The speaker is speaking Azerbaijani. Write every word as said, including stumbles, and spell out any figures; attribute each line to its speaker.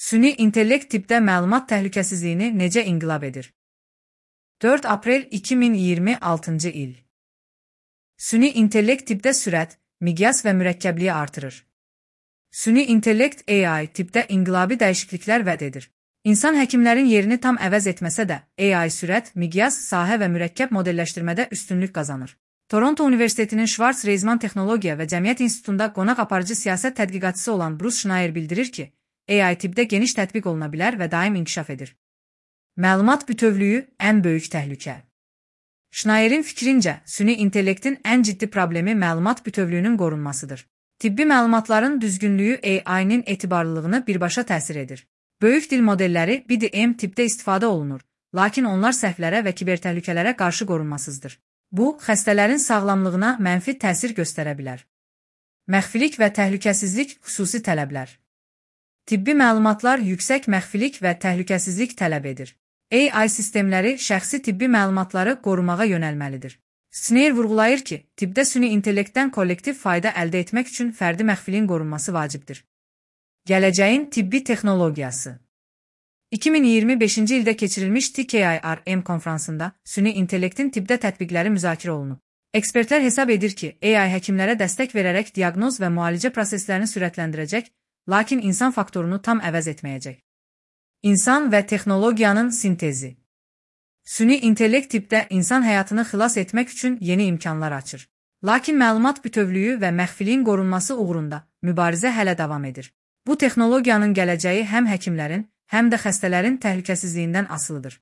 Speaker 1: Süni intellekt tibbdə məlumat təhlükəsizliyini necə inqilab edir? dörd aprel iki min iyirmi altıncı il. Süni intellekt tibbdə sürət, miqyas və mürəkkəbliyi artırır. Süni intellekt A I tibbdə inqilabi dəyişikliklər vəd edir. İnsan həkimlərin yerini tam əvəz etməsə də, A I sürət, miqyas, sahə və mürəkkəb modelləşdirmədə üstünlük qazanır. Toronto Universitetinin Schwartz-Reisman Texnologiya və Cəmiyyət İnstitutunda qonaq aparıcı siyasət tədqiqatçısı olan Bruce Schneier bildirir ki, A I tibbdə geniş tətbiq oluna bilər və daim inkişaf edir. Məlumat bütövlüyü ən böyük təhlükə. Schneyer'in fikrincə, süni intellektin ən ciddi problemi məlumat bütövlüyünün qorunmasıdır. Tibbi məlumatların düzgünlüyü A I-nin etibarlılığını birbaşa təsir edir. Böyük dil modelləri B D M tibbdə istifadə olunur, lakin onlar səhvlərə və kibertəhlükələrə qarşı qorunmasızdır. Bu, xəstələrin sağlamlığına mənfi təsir göstərə bilər. Məxfilik və təhlükəsizlik xüsusi tələblər. Tibbi məlumatlar yüksək məxfilik və təhlükəsizlik tələb edir. A I sistemləri şəxsi tibbi məlumatları qorumağa yönəlməlidir. Schneier vurğulayır ki, tibbdə süni intellektdən kollektiv fayda əldə etmək üçün fərdi məxfiliyin qorunması vacibdir. Gələcəyin tibbi texnologiyası. iki min iyirmi beşinci ildə keçirilmiş T K I R M konfransında süni intellektin tibbdə tətbiqləri müzakirə olunub. Ekspertlər hesab edir ki, A I həkimlərə dəstək verərək diaqnoz və müalicə proseslərini sürətləndirəcək, lakin insan faktorunu tam əvəz etməyəcək. İnsan və texnologiyanın sintezi. Süni intellekt tibbdə insan həyatını xilas etmək üçün yeni imkanlar açır. Lakin məlumat bütövlüyü və məxfiliyin qorunması uğrunda mübarizə hələ davam edir. Bu texnologiyanın gələcəyi həm həkimlərin, həm də xəstələrin təhlükəsizliyindən asılıdır.